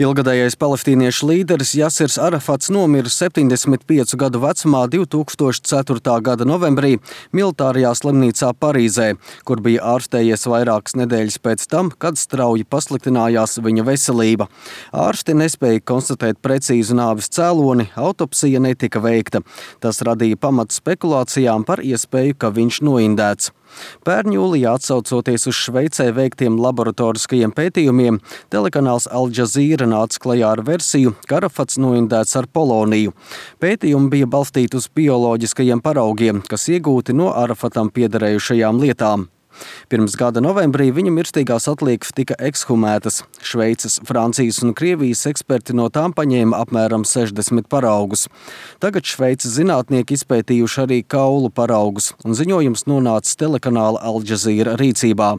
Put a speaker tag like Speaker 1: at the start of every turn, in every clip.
Speaker 1: Ilgadējais palestīniešu līderis Jasirs Arafats nomira 75 gadu vecumā 2004. gada novembrī militārajā slimnīcā Parīzē, kur bija ārstējies vairākas nedēļas pēc tam, kad strauji pasliktinājās viņa veselība. Ārsti nespēja konstatēt precīzu nāves cēloni, autopsija netika veikta. Tas radīja pamatu spekulācijām par iespēju, ka viņš noindēts. Pērn jūlijā, atsaucoties uz Šveicē veiktiem laboratoriskajiem pētījumiem, telekanāls Al Jazeera nāca klajā ar versiju, ka Arafats noindēts ar poloniju. Pētījumi bija balstīti uz bioloģiskajiem paraugiem, kas iegūti no Arafatam piederējušajām lietām. Pirms gada novembrī viņa mirstīgās atliekas tika ekshumētas. Šveices, Francijas un Krievijas eksperti no tām paņēma apmēram 60 paraugus. Tagad Šveices zinātnieki izpētījuši arī kaulu paraugus, un ziņojums nonācis telekanāla Al Jazeera rīcībā.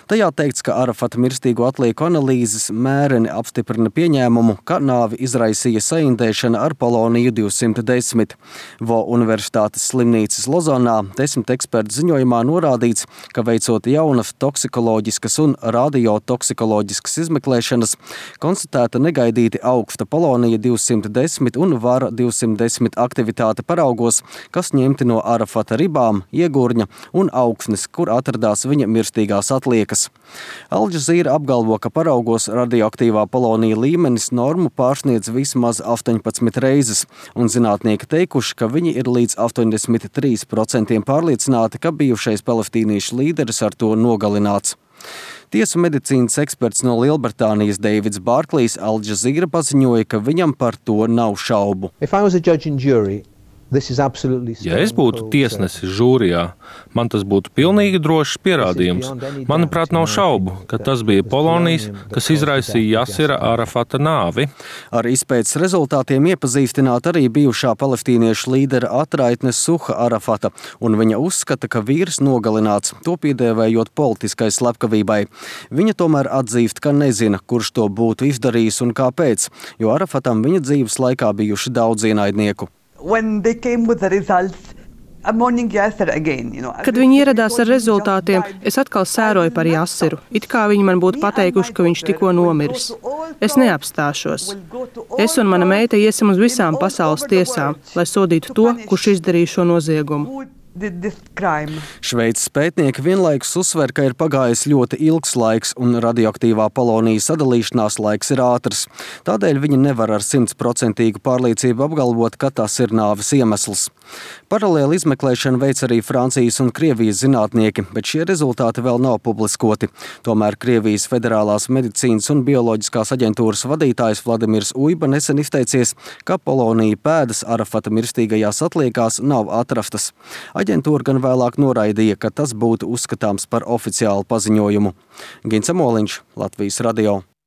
Speaker 1: Tajā teikts, ka Arafata mirstīgo atlieku analīzes mēreni apstiprina pieņēmumu, ka nāvi izraisīja saindēšana ar poloniju 210. Vo Universitātes slimnīcas Lozanā 10 ekspertu ziņojumā norādīts, ka veicot jaunas toksikoloģiskas un radiotoksikoloģiskas izmeklēšanas, konstatēta negaidīti augsta polonija 210 un vara 210 aktivitāte paraugos, kas ņemti no Arafata ribām, iegurņa un augsnes, kur atradās viņa mirstīgās atliekas. Al Jazeera apgalvo, ka paraugos radioaktīvā polonija līmenis normu pārsniedz vismaz 18 reizes, un zinātnieki teikuši, ka viņi ir līdz 83% pārliecināti, ka bijušais palestīniešu līderis ar to nogalināts. Tiesu medicīnas eksperts no Lielbritānijas Deivids Bārklīs Al Jazeera paziņoja, ka viņam par to nav šaubu.
Speaker 2: Ja es būtu tiesnesis žūrijā, man tas būtu pilnīgi drošs pierādījums. Manuprāt, nav šaubu, ka tas bija polonijas, kas izraisīja Jasira Arafata nāvi.
Speaker 1: Ar izpētes rezultātiem iepazīstināt arī bijušā palestīniešu līdera atraitne Suha Arafata, un viņa uzskata, ka vīrs nogalināts, to piedēvējot politiskai slepkavībai. Viņa tomēr atzīst, ka nezina, kurš to būtu izdarījis un kāpēc, jo Arafatam viņa dzīves laikā bijuši daudz ienaidnieku.
Speaker 3: Kad viņi ieradās ar rezultātiem, es atkal sēroju par Jasiru. It kā viņi man būtu pateikuši, ka viņš tikko nomiris. Es neapstāšos. Es un mana meita iesim uz visām pasaules tiesām, lai sodītu to, kurš izdarīja šo noziegumu.
Speaker 1: Šveices pētnieki vienlaikus uzsver, ka ir pagājis ļoti ilgs laiks un radioaktīvā polonijas sadalīšanās laiks ir ātrs. Tādēļ viņi nevar ar 100% pārliecību apgalvot, ka tas ir nāves iemesls. Paralēli izmeklēšanu veic arī Francijas un Krievijas zinātnieki, bet šie rezultāti vēl nav publiskoti. Tomēr Krievijas Federālās medicīnas un bioloģiskās aģentūras vadītājs Vladimirs Uiba nesen izteicies, ka polonija pēdas Arafata mirstīgajās atliekās nav atrastas. Aģentūra gan vēlāk noraidīja, ka tas būtu uzskatāms par oficiālu paziņojumu. Gints Amoliņš, Latvijas radio.